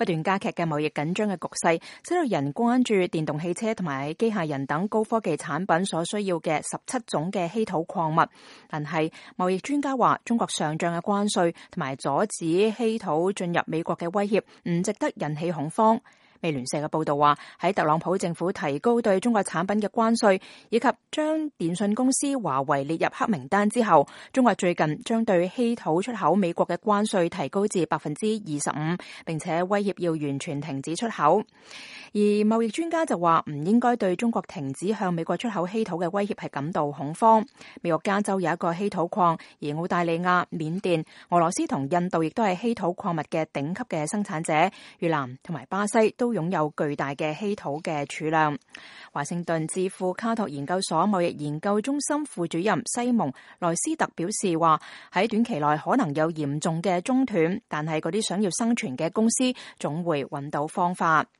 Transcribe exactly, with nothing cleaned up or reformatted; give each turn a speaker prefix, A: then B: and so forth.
A: 不斷加劇嘅貿易緊張嘅局勢，使到人關注電動汽車同埋機械人等高科技產品所需要嘅十七種嘅稀土礦物。但係貿易專家話，中國上漲嘅關稅同埋阻止稀土進入美國嘅威脅，唔值得引起恐慌。美聯社嘅報道話，喺特朗普政府提高對中國產品嘅關稅，以及將電信公司華為列入黑名單之後，中國最近將對稀土出口美國嘅關稅提高至百分之二十五，並且威脅要完全停止出口。而貿易專家就話，唔應該對中國停止向美國出口稀土嘅威脅係感到恐慌。美國加州有一個稀土礦，而澳大利亞、緬甸、俄羅斯同印度亦都係稀土礦物嘅頂級嘅生產者，越南同埋巴西都擁有巨大嘅稀土嘅儲量。華盛頓智庫卡托研究所貿易研究中心副主任西蒙萊斯特表示話，喺短期內可能有嚴重嘅中斷，但係嗰啲想要生存嘅公司總會揾到方法。